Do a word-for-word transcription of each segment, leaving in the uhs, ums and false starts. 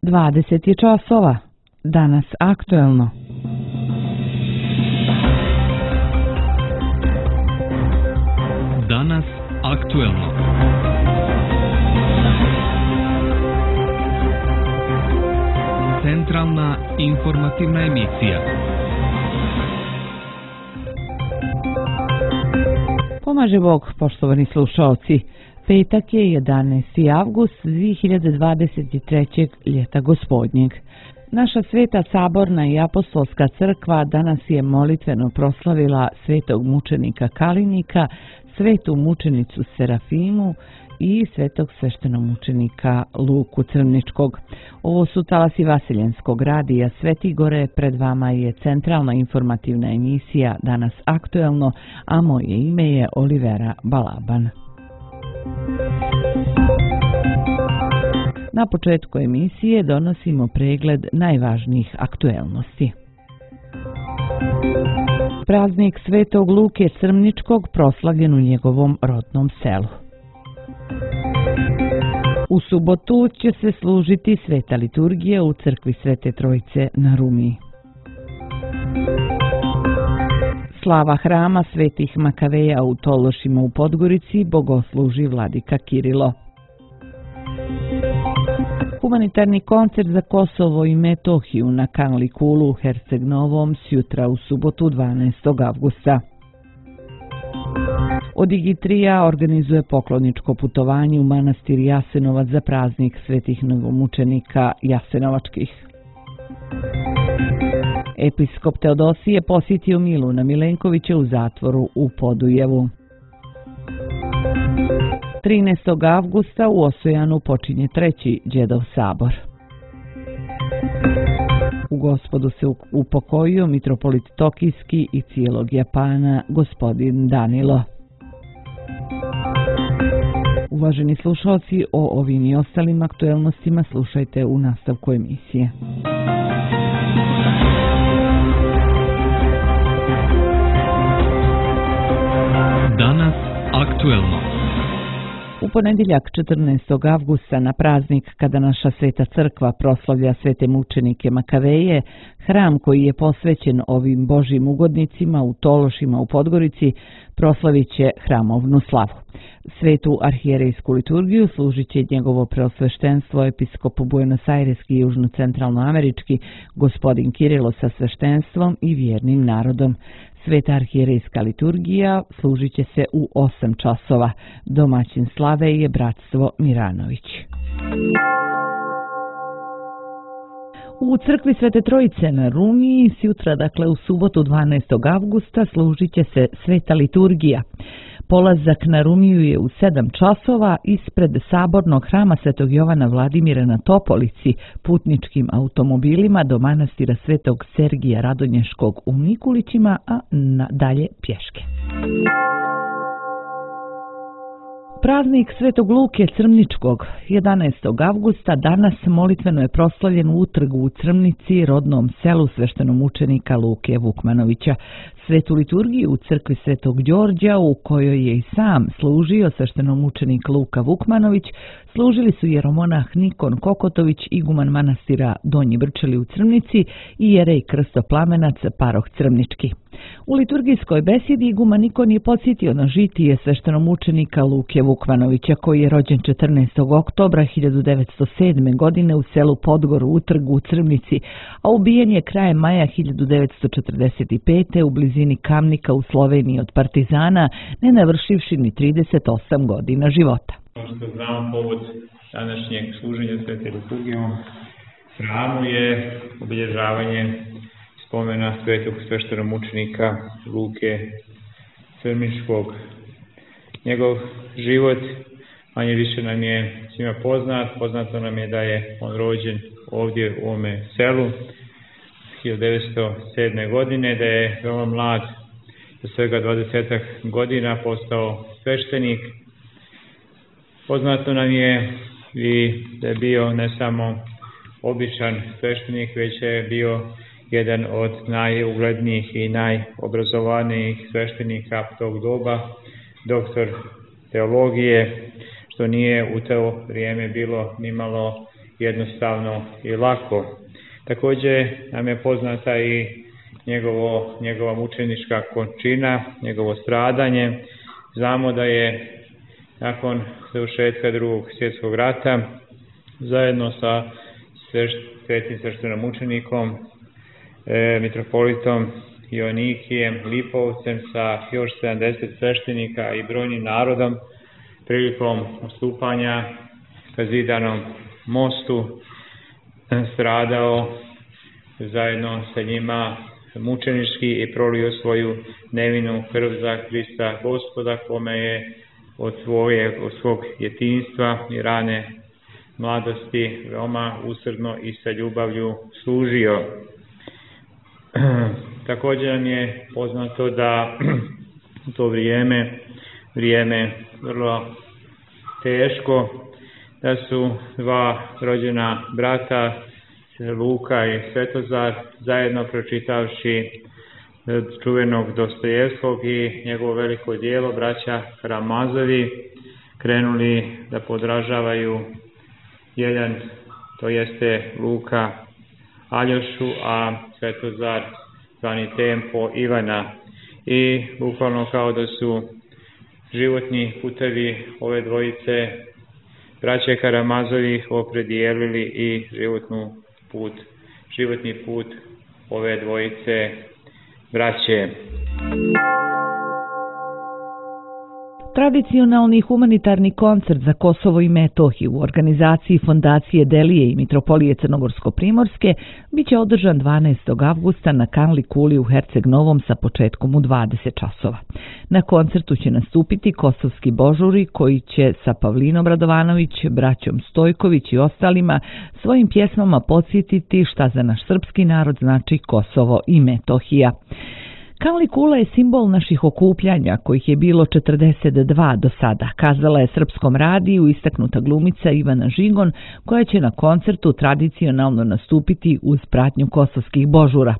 dvadeset je časova. Danas aktuelno. Danas aktuelno. Centralna informativna emisija. Pomaže Bog, poštovani slušaoci. Petak je jedanaesti avgust dve hiljade dvadeset trećeg. ljeta gospodnjeg. Naša sveta saborna i apostolska crkva danas je molitveno proslavila svetog mučenika Kalinika, svetu mučenicu Serafimu i svetog sveštenomučenika Luku Crničkog. Ovo su talasi Vaseljenskog radija Svetigore, pred vama je centralna informativna emisija Danas aktuelno, a moje ime je Olivera Balaban. Na početku emisije donosimo pregled najvažnijih aktuelnosti. Praznik Svetog Luke Crničkog proslavljen u njegovom rodnom selu. U subotu će se služiti sveta liturgija u crkvi Svete Trojice na Rumiji. Slava hrama Svetih Makaveja u Tološima u Podgorici bogosluži vladika Kirilo. Humanitarni koncert za Kosovo i Metohiju na Kanlikulu u Herceg Novom sjutra u subotu dvanaestog avgusta. Odigitrija organizuje pokloničko putovanje u manastir Jasenovac za praznik svetih novomučenika Jasenovačkih. Episkop Teodosije posjetio Miluna Milenkovića u zatvoru u Podujevu. trinaestog avgusta u Osojanu počinje treći Đedov sabor. U Gospodu se upokojio mitropolit Tokijski i cijelog Japana gospodin Danilo. Uvaženi slušalci, o ovim i ostalim aktuelnostima slušajte u nastavku emisije. Danas aktuelno. U ponedjeljak četrnaestog avgusta na praznik kada naša sveta crkva proslavlja svete mučenike Makaveje, hram koji je posvećen ovim božjim ugodnicima u Tološima u Podgorici proslavit će hramovnu slavu. Svetu arhijerejsku liturgiju služit će njegovo preosveštenstvo episkop Buenos Aireski i južno-centralnoamerički gospodin Kirilo sa sveštenstvom i vjernim narodom. Sveta arhijerejska liturgija služit će se u osam časova. Domaćin slave je bratstvo Miranović. U crkvi Svete Trojice na Rumiji sutra, dakle u subotu dvanaestog avgusta, služit će se sveta liturgija. Polazak na Rumiju je u sedam časova ispred sabornog hrama Svetog Jovana Vladimira na Topolici putničkim automobilima do manastira Svetog Sergija Radonješkog u Mikulićima, a dalje pješke. Praznik Svetog Luke Crničkog jedanaestog avgusta danas molitveno je proslavljen u utrgu u Crnici, rodnom selu sveštenomučenika Luke Vukmanovića. Svetu liturgiju u crkvi Svetog Đorđa, u kojoj je i sam služio sveštenomučenik Luka Vukmanović, služili su jeromonah Nikon Kokotović, iguman manastira Donji Brčeli u Crnici i jerej Krstoplamenac Paroh Crnički. U liturgijskoj besedi iguman Nikon je podsjetio na žitije sveštenomučenika Luke Vukmanovića, koji je rođen četrnaestog oktobra hiljadu devetsto sedme. godine u selu Podgor u utrgu u Crnici, a ubijen je krajem maja hiljadu devetsto četrdeset pete. u blizini Kamnika u Sloveniji od partizana, ne navršivši ni trideset osam godina života. Kao što znamo, povod današnjeg služenja svete liturgije u hramu je obilježavanje spomena svetog sveštenomučenika Luke Crničkog. Njegov život manje više nam je svima poznat. Poznato nam je da je on rođen ovdje u ovome selu hiljadu devetsto sedme. godine, da je veoma mlad, za svega dvadesetak godina postao sveštenik. Poznato nam je i da je bio ne samo običan sveštenik, već je bio jedan od najuglednijih i najobrazovanijih sveštenika tog doba, doktor teologije, što nije u to vrijeme bilo nimalo jednostavno i lako. Također nam je poznata i njegovo, njegova mučenička končina, njegovo stradanje. Znamo da je nakon završetka drugog svjetskog rata zajedno sa svetim sveštenomučenikom, e, mitropolitom Joanikijem Lipovcem sa još sedamdeset sveštenika i brojnim narodom prilikom ustupanja ka Zidanom mostu stradao zajedno sa njima mučenički i prolio svoju nevinu krv za Krista Gospoda, kome je od, svoje, od svog djetinjstva i rane mladosti veoma usrdno i sa ljubavlju služio. Također nam je poznato da u to vrijeme, vrijeme vrlo teško, da su dva rođena brata, Luka i Svetozar, zajedno pročitavši čuvenog Dostojevskog i njegovo veliko djelo, braća Karamazovi, krenuli da podražavaju jedan, to jeste Luka, Aljošu, a Svetozar zvani Tempo Ivana. I bukvalno kao da su životni putevi ove dvojice braće Karamazovih opredijelili i životnu put, životni put ove dvojice braće. Tradicionalni humanitarni koncert za Kosovo i Metohiju u organizaciji Fondacije Delije i Mitropolije Crnogorsko-Primorske biće održan dvanaestog avgusta na Kanli kuli u Herceg Novom sa početkom u dvadeset časova. Na koncertu će nastupiti kosovski božuri koji će sa Pavlinom Radovanović, braćom Stojković i ostalima svojim pjesmama podsjetiti šta za naš srpski narod znači Kosovo i Metohija. Kanli kula je simbol naših okupljanja, kojih je bilo četrdeset dva do sada, kazala je Srpskom radiju istaknuta glumica Ivana Žigon, koja će na koncertu tradicionalno nastupiti uz pratnju kosovskih božura.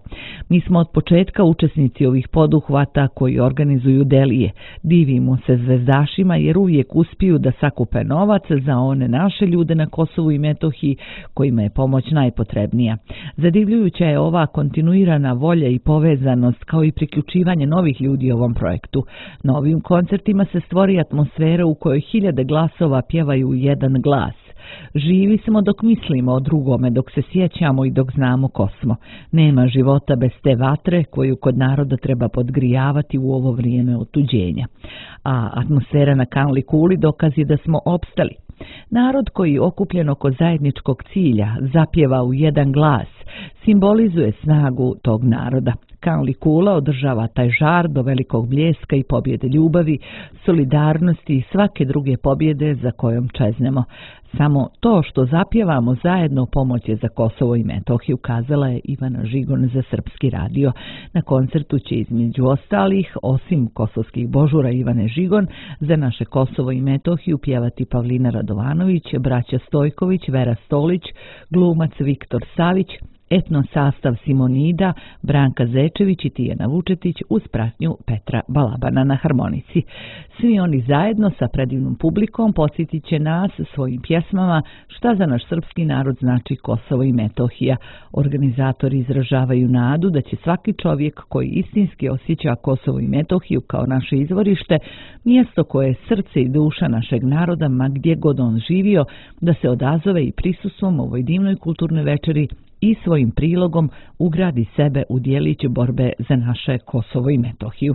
Mi smo od početka učesnici ovih poduhvata koji organizuju Delije. Divimo se zvezdašima jer uvijek uspiju da sakupe novac za one naše ljude na Kosovu i Metohiji kojima je pomoć najpotrebnija. Zadivljujuća je ova kontinuirana volja i povezanost kao i priključivanje novih ljudi ovom projektu. Na ovim koncertima se stvori atmosfera u kojoj hiljade glasova pjevaju jedan glas. Živi smo dok mislimo o drugome, dok se sjećamo i dok znamo ko smo. Nema života bez te vatre koju kod naroda treba podgrijavati u ovo vrijeme otuđenja. A atmosfera na Kanli kuli dokaz je da smo opstali. Narod koji okupljen oko zajedničkog cilja zapjeva u jedan glas, simbolizuje snagu tog naroda. Kanli kula održava taj žar do velikog bljeska i pobjede ljubavi, solidarnosti i svake druge pobjede za kojom čeznemo. Samo to što zapjevamo zajedno pomoć je za Kosovo i Metohiju, kazala je Ivana Žigon za Srpski radio. Na koncertu će između ostalih, osim kosovskih božura Ivane Žigon, za naše Kosovo i Metohiju pjevati Pavlina Radovanović, braća Stojković, Vera Stolić, glumac Viktor Savić, etno sastav Simonida, Branka Zečević i Tijana Vučetić uz pratnju Petra Balabana na harmonici. Svi oni zajedno sa predivnom publikom posjetit će nas svojim pjesmama šta za naš srpski narod znači Kosovo i Metohija. Organizatori izražavaju nadu da će svaki čovjek koji istinski osjeća Kosovo i Metohiju kao naše izvorište, mjesto koje je srce i duša našeg naroda, ma gdje god on živio, da se odazove i prisustvom ovoj divnoj kulturnoj večeri i svojim prilogom ugradi sebe u djelić borbe za naše Kosovo i Metohiju.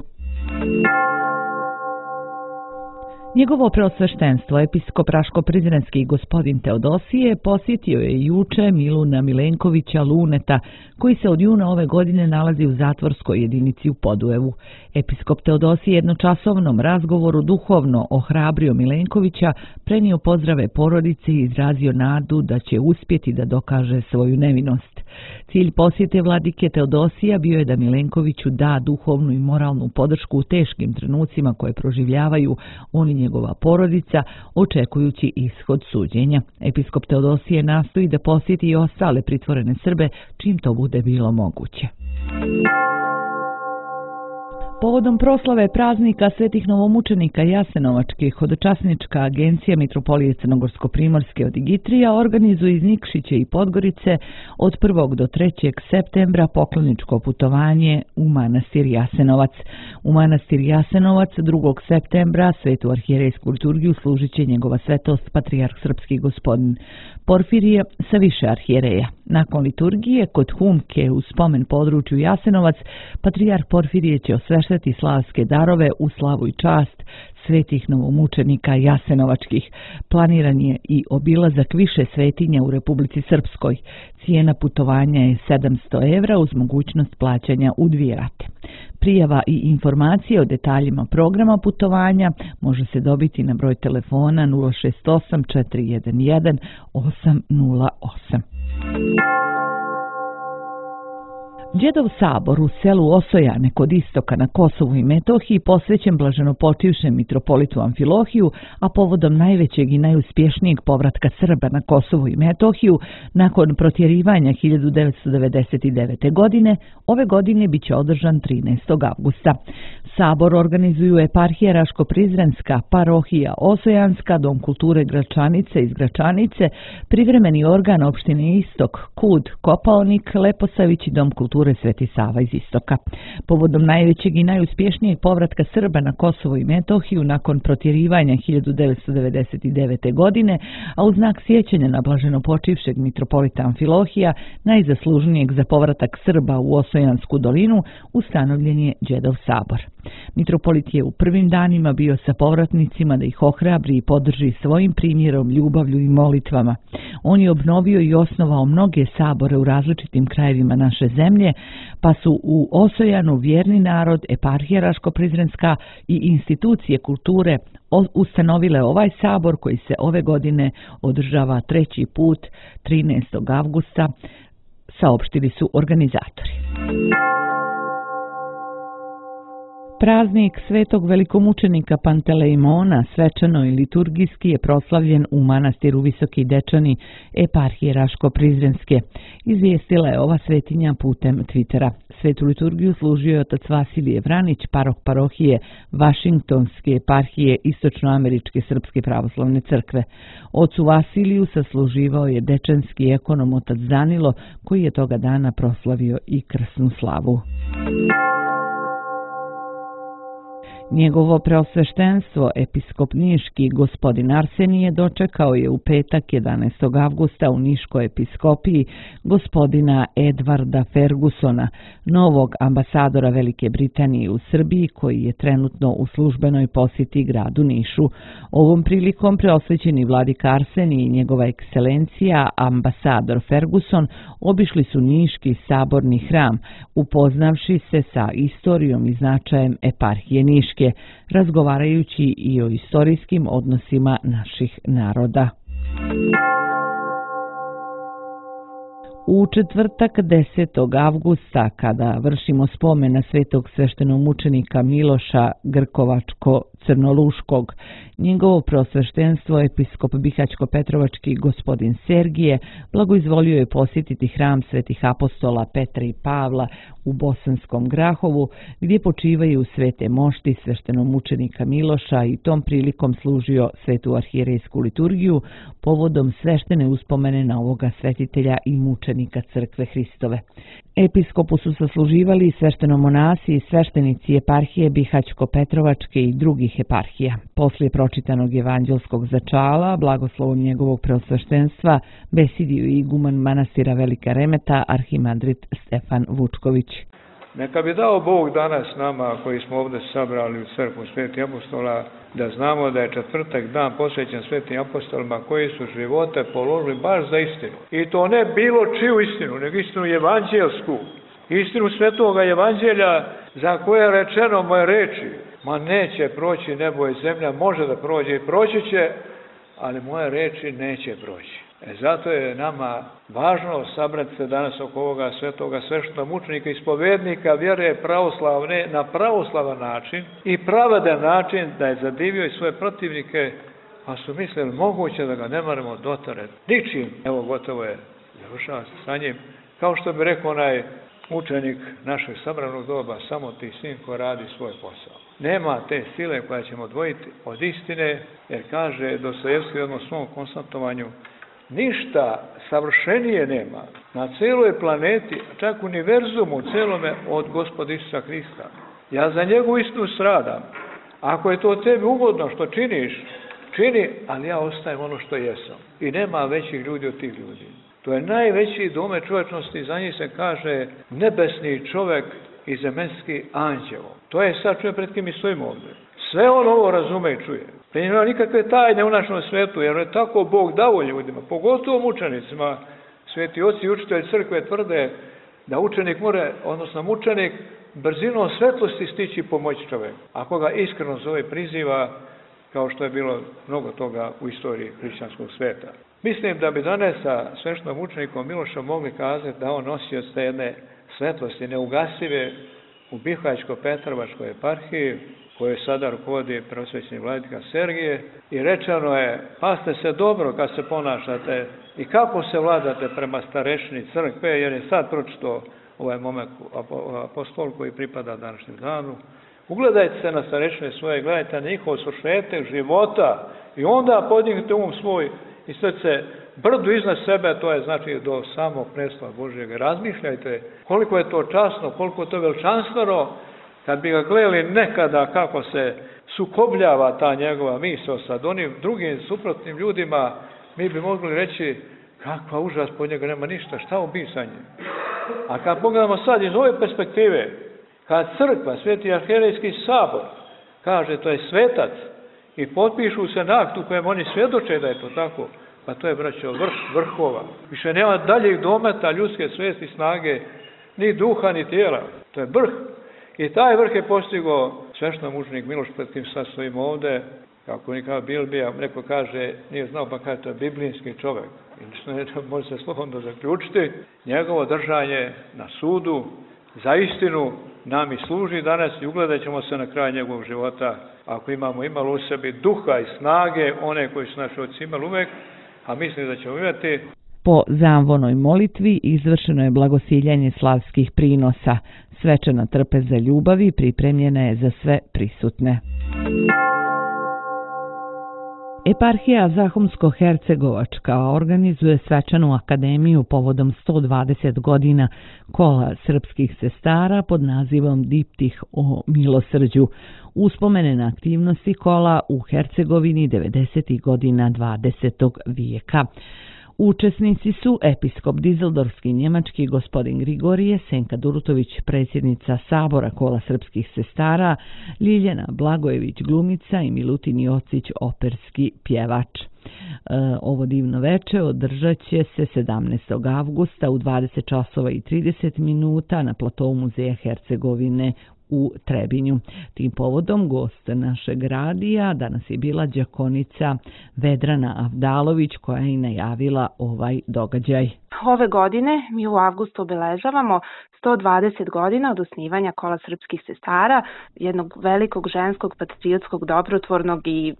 Njegovo preosveštenstvo, episkop Raško-Prizrenski gospodin Teodosije, posjetio je juče Miluna Milenkovića Luneta, koji se od juna ove godine nalazi u zatvorskoj jedinici u Podujevu. Episkop Teodosije jednočasovnom razgovoru duhovno ohrabrio Milenkovića, prenio pozdrave porodici i izrazio nadu da će uspjeti da dokaže svoju nevinost. Cilj posjete vladike Teodosija bio je da Milenkoviću da duhovnu i moralnu podršku u teškim trenucima koje proživljavaju on i njegova porodica, očekujući ishod suđenja. Episkop Teodosije nastoji da posjeti i ostale pritvorene Srbe čim to bude bilo moguće. Povodom proslave praznika svetih novomučenika Jasenovačkih, hodočasnička agencija Mitropolije Crnogorsko-primorske od Igitrija organizuje iz Nikšića i Podgorice od prvog do trećeg septembra pokloničko putovanje u manastir Jasenovac. U manastir Jasenovac drugog septembra svetu arhijerejsku liturgiju služit će njegova svetost patrijarh srpski gospodin Porfirije sa više arhijereja. Nakon liturgije kod Humke u spomen području Jasenovac, patrijarh Porfirije će osveštati slavske darove u slavu i čast svetih novomučenika Jasenovačkih. Planiran je i obilazak više svetinja u Republici Srpskoj. Cijena putovanja je sedamsto evra uz mogućnost plaćanja u dvije rate. Prijava i informacije o detaljima programa putovanja može se dobiti na broj telefona nula šest osam četiri jedan jedan osam nula osam. Đedov sabor u selu Osojane kod istoka na Kosovu i Metohiji posvećen blaženopočivšem mitropolitu Amfilohiju, a povodom najvećeg i najuspješnijeg povratka Srba na Kosovu i Metohiju nakon protjerivanja hiljadu devetsto devedeset devete. godine, ove godine biće održan trinaestog avgusta. Sabor organizuju eparhija Raško-Prizrenska, parohija Osojanska, Dom kulture Gračanice iz Gračanice, privremeni organ opštine Istok, Kud, Kopaonik, Leposavić i Dom kulture Sveti Sava iz Istoka. Povodom najvećeg i najuspješnijeg povratka Srba na Kosovo i Metohiju nakon protjerivanja hiljadu devetsto devedeset devete. godine, a u znak sjećanja na blaženopočivšeg mitropolita Amfilohija, najzaslužnijeg za povratak Srba u Osojansku dolinu, ustanovljen je Đedov sabor. Mitropolit je u prvim danima bio sa povratnicima da ih ohrabri i podrži svojim primjerom, ljubavlju i molitvama. On je obnovio i osnovao mnoge sabore u različitim krajevima naše zemlje, pa su u Osojanu vjerni narod, eparhija Raško-Prizrenska i institucije kulture ustanovile ovaj sabor koji se ove godine održava treći put trinaestog avgusta, saopštili su organizatori. Praznik svetog velikomučenika Pantelejmona svečano i liturgijski je proslavljen u manastiru Visoki Dečani eparhije Raško-Prizrenske. Izvijestila je ova svetinja putem Twittera. Svetu liturgiju služio je otac Vasilije Vranić, parok parohije Vašingtonske eparhije Istočnoameričke srpske pravoslavne crkve. Ocu Vasiliju sasluživao je dečanski ekonom otac Danilo, koji je toga dana proslavio i krsnu slavu. Njegovo preosveštenstvo, episkop niški gospodin Arsenije, dočekao je u petak jedanaestog avgusta u Niškoj episkopiji gospodina Edvarda Fergusona, novog ambasadora Velike Britanije u Srbiji, koji je trenutno u službenoj posjeti gradu Nišu. Ovom prilikom preosvećeni vladika Arsenije i njegova ekscelencija ambasador Ferguson obišli su Niški saborni hram, upoznavši se sa istorijom i značajem eparhije Niške, razgovarajući i o istorijskim odnosima naših naroda. U četvrtak desetog avgusta, kada vršimo spomen na svetog sveštenomučenika Miloša Grkovačko-Crnoluškog, njegovo preosveštenstvo episkop Bihaćko-Petrovački gospodin Sergije blagoizvolio je posjetiti hram svetih apostola Petra i Pavla u Bosanskom Grahovu, gdje počivaju svete mošti sveštenomučenika Miloša i tom prilikom služio svetu arhijerejsku liturgiju povodom sveštene uspomene na ovoga svetitelja i mučenika crkve Hristove. Episkopu su sasluživali sveštenomonasi i sveštenici eparhije Bihaćko-Petrovačke i drugih eparhija. Poslije pročitanog evanđelskog začala, blagoslovom njegovog preosveštenstva, besidio i iguman manastira Velika Remeta, arhimandrit Stefan Vučković. Neka bi dao Bog danas nama koji smo ovdje sabrali u crkvu svetih apostola, da znamo da je četvrtak dan posvećen svetim apostolima koji su živote položili baš za istinu. I to ne bilo čiju istinu, nego istinu evanđelsku. Istinu svetoga evanđelja za koje je rečeno moje reči. Ma neće proći nebo i zemlja, može da prođe i proći će, ali moje reči neće proći. E zato je nama važno sabrati se danas oko ovoga svetoga sveštenomučenika, ispovednika vjere pravoslavne na pravoslavan način i pravedan način, da je zadivio i svoje protivnike, pa su mislili moguće da ga ne moramo dotarati ničim. Evo gotovo je, završava se sa njim. Kao što bi rekao onaj učenik našeg sabranog doba, samo ti sin ko radi svoj posao. Nema te sile koja ćemo odvojiti od istine, jer kaže Dostojevski u jednom svom konstatovanju, ništa savršenije nema na celoj planeti, čak univerzumu celome od Gospoda Isusa Hrista. Ja za njegovu istinu stradam. Ako je to tebi ugodno što činiš, čini, ali ja ostajem ono što jesam. I nema većih ljudi od tih ljudi. To je najveći domet čovječnosti, za njih se kaže nebesni čovjek i zemaljski anđeo. To je sad čovjek pred kim mi stojimo ovdje. Sve on ovo razume i čuje. Pa nema nikakve tajne u našem svetu, jer je tako Bog dao ljudima, pogotovo mučenicima. Sveti oci i učitelji crkve tvrde da učenik more, odnosno mučenik, brzinom svetlosti stići pomoć čovjeku. Ako ga iskreno zove, priziva, kao što je bilo mnogo toga u istoriji hrišćanskog sveta. Mislim da bi danas sa sveštenom mučenikom Milošom mogli kazati da on nosio te jedne svetlosti neugasive u Bihaćko-Petrovačkoj eparhiji, koje sada rukovodi prosvećeni vladika Sergije, i rečeno je, pazite se dobro kad se ponašate i kako se vladate prema starešini crkve, jer je sad pročito ovaj momak apostol koji pripada današnjem danu. Ugledajte se na starešine svoje, gledajte na njihov svršetak života i onda podignite um svoj i srce brdu iznad sebe, to je znači do samog predstava Božjeg. Razmišljajte koliko je to časno, koliko je to veličanstveno, kad bi ga gledali nekada kako se sukobljava ta njegova misao sa onim drugim suprotnim ljudima, mi bi mogli reći kakva užas, po njega nema ništa, šta obisanje. A kad pogledamo sad iz ove perspektive, kad crkva, Sveti arhijerejski sabor, kaže to je svetac i potpišu se na aktu kojem oni svjedoče da je to tako, pa to je, braćo, vrh vrhova. Više nema daljeg dometa ljudske svijesti, snage, ni duha, ni tijela. To je vrh. I taj vrh je postigao sveštenomučenik Miloš, pred kim sad stojimo ovde, kako nikada Bilbija, neko kaže, nije znao, pa kaže, to je biblijski čovjek. I ne može se slobodno zaključiti. Njegovo držanje na sudu za istinu nam i služi danas i ugledat ćemo se na kraj njegovog života, ako imamo imalo u sebi duha i snage, one koji su naši oci imali uvek, a mislim da ćemo imati. Po zamvonoj molitvi izvršeno je blagosiljanje slavskih prinosa. Svečana trpeza ljubavi pripremljena je za sve prisutne. Eparhija Zahumsko-Hercegovačka organizuje svečanu akademiju povodom sto dvadeset godina kola srpskih sestara pod nazivom Diptih o milosrđu, uspomene na aktivnosti kola u Hercegovini devedesetih godina dvadesetog vijeka. Učesnici su episkop Dizeldorfski njemački gospodin Grigorije, Senka Durutović, predsjednica Sabora kola srpskih sestara, Ljiljana Blagojević glumica i Milutin Jocić operski pjevač. E, ovo divno veče održat će se sedamnaestog avgusta u dvadeset časova i trideset minuta na platovu Muzeja Hercegovine u Trebinju. Tim povodom gost našeg radija danas je bila đakonica Vedrana Avdalović, koja je i najavila ovaj događaj. Ove godine mi u avgustu obeležavamo sto dvadeset godina od osnivanja kola srpskih sestara, jednog velikog ženskog, patriotskog, dobrotvornog i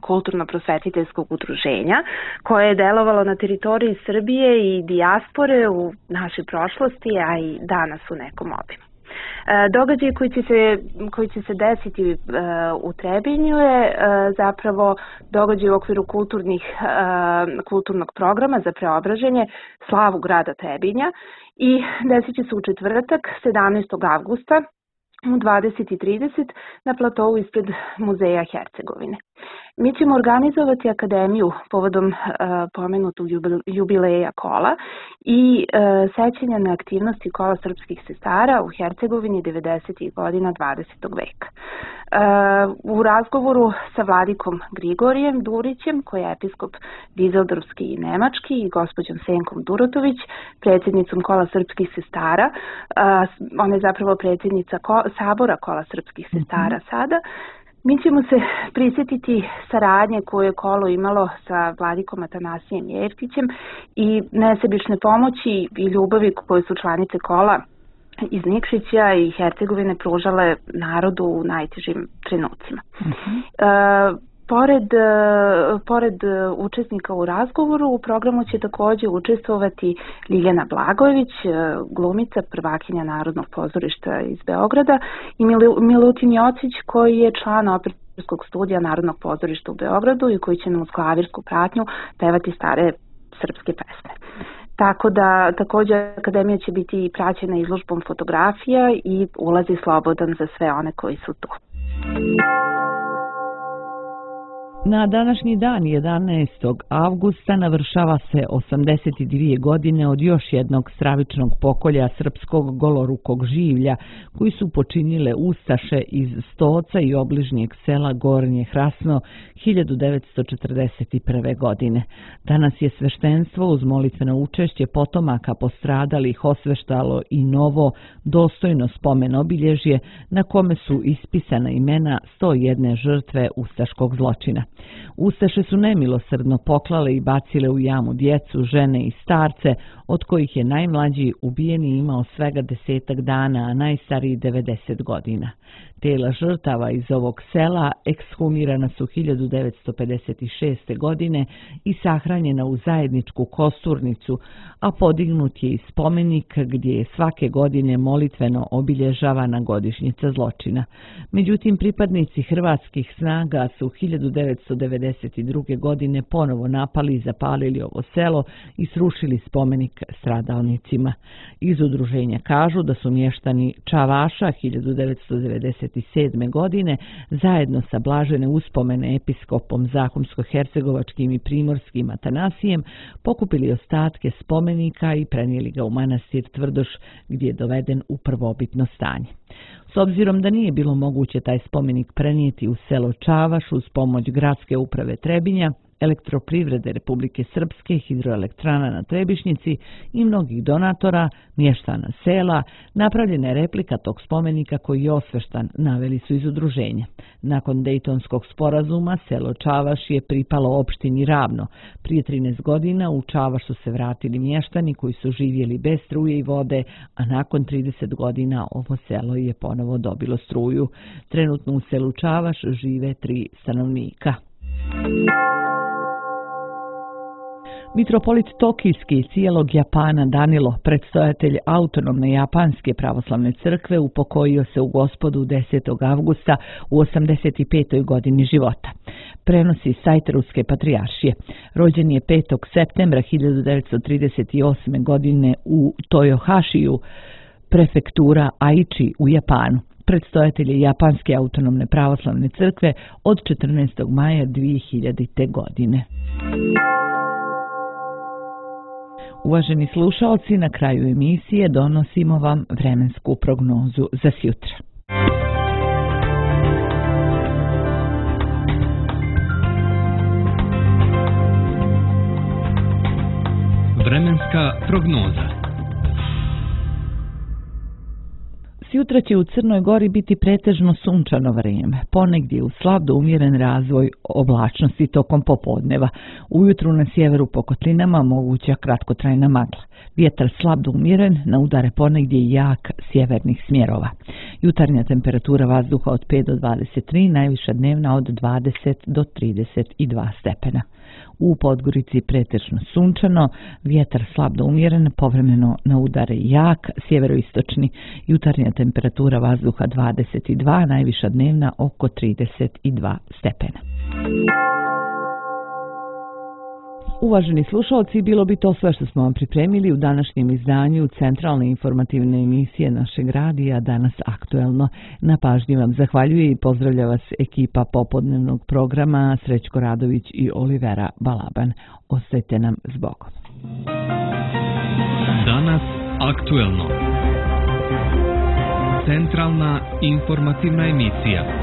kulturno-prosvetiteljskog udruženja, koje je delovalo na teritoriji Srbije i dijaspore u našoj prošlosti, a i danas u nekom obimu. Događaj koji će se, koji će se desiti u Trebinju je zapravo događaj u okviru kulturnih, kulturnog programa za preobraženje slavu grada Trebinja i desit će se u četvrtak sedamnaestog avgusta u dvadeset i trideset na platovu ispred Muzeja Hercegovine. Mi ćemo organizovati akademiju povodom uh, pomenutog jubileja kola i uh, sećanja na aktivnosti kola srpskih sestara u Hercegovini devedesetih godina dvadesetog veka. Uh, u razgovoru sa vladikom Grigorijem Durićem, koji je episkop Dizeldorfski i nemački, i gospođom Senkom Durotović, predsjednicom kola srpskih sestara, uh, ona je zapravo predsjednica ko, Sabora kola srpskih sestara mm-hmm. sada, mi ćemo se prisjetiti saradnje koje je kolo imalo sa vladikom Atanasijem Jeftićem i nesebične pomoći i ljubavi koje su članice kola iz Nikšića i Hercegovine pružale narodu u najtežim trenucima. Uh-huh. Pored, pored učesnika u razgovoru, u programu će također učestvovati Ljiljana Blagojević, glumica, prvakinja Narodnog pozorišta iz Beograda, i Milutin Jocić, koji je član operskog studija Narodnog pozorišta u Beogradu i koji će nam uz klavirsku pratnju pevati stare srpske pesme. Tako da također akademija će biti praćena izložbom fotografija i ulazi slobodan za sve one koji su tu. Na današnji dan, jedanaestog avgusta, navršava se osamdeset dvije godine od još jednog stravičnog pokolja srpskog golorukog življa, koji su počinile ustaše iz Stoca i obližnjeg sela Gornje Hrasno hiljadu devetsto četrdeset prve. godine. Danas je sveštenstvo uz molitveno učešće potomaka postradalih osveštalo i novo, dostojno spomen obilježje na kome su ispisana imena sto jedne žrtve ustaškog zločina. Ustaše su nemilosrdno poklale i bacile u jamu djecu, žene i starce, od kojih je najmlađi ubijeni imao svega desetak dana, a najstariji devedeset godina. Tela žrtava iz ovog sela ekshumirana su hiljadu devetsto pedeset šeste. godine i sahranjena u zajedničku kosturnicu, a podignut je i spomenik gdje je svake godine molitveno obilježavana godišnjica zločina. Međutim, pripadnici hrvatskih snaga su hiljadu devetsto devedeset druge. godine ponovo napali i zapalili ovo selo i srušili spomenik stradalnicima. Iz udruženja kažu da su mještani Čavaša hiljadu devetsto devedeset sedme. godine zajedno sa blažene uspomene episkopom Zahumsko-hercegovačkim i primorskim Atanasijem pokupili ostatke spomenika i prenijeli ga u manastir Tvrdoš, gdje je doveden u prvobitno stanje. S obzirom da nije bilo moguće taj spomenik prenijeti u selo Čavaš uz pomoć gradske uprave Trebinja, Elektroprivrede Republike Srpske, hidroelektrana na Trebišnjici i mnogih donatora, mještana sela, napravljena je replika tog spomenika koji je osveštan, naveli su iz udruženja. Nakon Dejtonskog sporazuma selo Čavaš je pripalo opštini Ravno. Prije trinaest godina u Čavaš su se vratili mještani koji su živjeli bez struje i vode, a nakon trideset godina ovo selo je ponovo dobilo struju. Trenutno u selu Čavaš žive tri stanovnika. Mitropolit Tokijski cijelog Japana Danilo, predstojatelj autonomne japanske pravoslavne crkve, upokojio se u Gospodu desetog avgusta u osamdeset petoj. godini života. Prenosi sajt Ruske patrijaršije. Rođen je petog septembra hiljadu devetsto trideset osme. godine u Toyohashiju, prefektura Aichi u Japanu. Predstojatelj je Japanske autonomne pravoslavne crkve od četrnaestog maja dvije hiljadite. godine. Uvaženi slušalci, na kraju emisije donosimo vam vremensku prognozu za sjutra. Vremenska prognoza. Sjutra će u Crnoj Gori biti pretežno sunčano vrijeme, ponegdje u slab do umjeren razvoj oblačnosti tokom popodneva. Ujutru na sjeveru po kotlinama moguća kratkotrajna magla. Vjetar slab do umjeren, na udare ponegdje jak sjevernih smjerova. Jutarnja temperatura vazduha od pet do dvadeset tri, najviša dnevna od dvadeset do trideset dva stepena. U Podgorici pretežno sunčano, vjetar slab do umjeren, povremeno na udare jak, sjeveroistočni, jutarnja temperatura vazduha dvadeset dva, najviša dnevna oko trideset dva stepena. Uvaženi slušalci, bilo bi to sve što smo vam pripremili u današnjem izdanju centralne informativne emisije našeg radija Danas aktuelno. Na pažnji vam zahvaljuje i pozdravlja vas ekipa popodnevnog programa Srećko Radović i Olivera Balaban. Ostajte nam s Bogom. Danas aktuelno. Centralna informativna emisija.